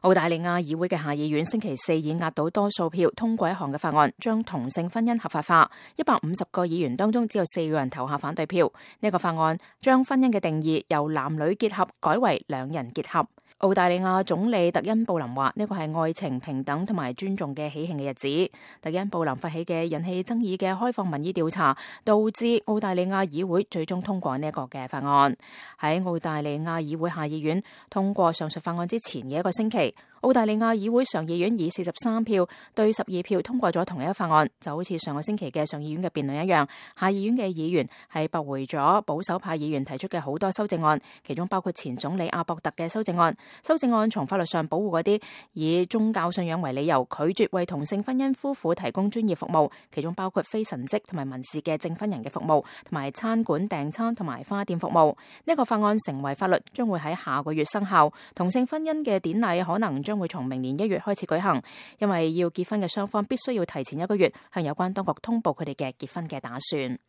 澳大利亞議會嘅下議院星期四以壓倒多數票通過一項嘅法案，將同性婚姻合法化。150個議員當中只有4個人投下反對票。呢個法案將婚姻嘅定義由男女結合改為兩人結合。澳大利亞總理特恩布林話：呢個係愛情、平等同埋尊重嘅喜慶嘅日子。特恩布林發起嘅引起爭議嘅開放民意調查，導致澳大利亞議會最終通過呢一個嘅法案。喺澳大利亞議會下議院通過上述法案之前嘅一個星期，澳大利亞議會上議院以43票對12票通過咗同一個法案，就好似上個星期嘅上議院嘅辯論一樣。下議院嘅議員係駁回咗保守派議員提出嘅好多修正案，其中包括前總理阿博特嘅修正案。修正案從法律上保護嗰啲以宗教信仰為理由拒絕為同性婚姻夫婦提供專業服務，其中包括非神職同埋民事嘅證婚人嘅服務，同埋餐館訂餐同埋花店服務。呢個法案成為法律，將會喺下個月生效。同性婚姻嘅典禮可能將會從明年1月開始舉行，因為要結婚嘅雙方必須要提前1個月向有關當局通報佢哋嘅結婚嘅打算。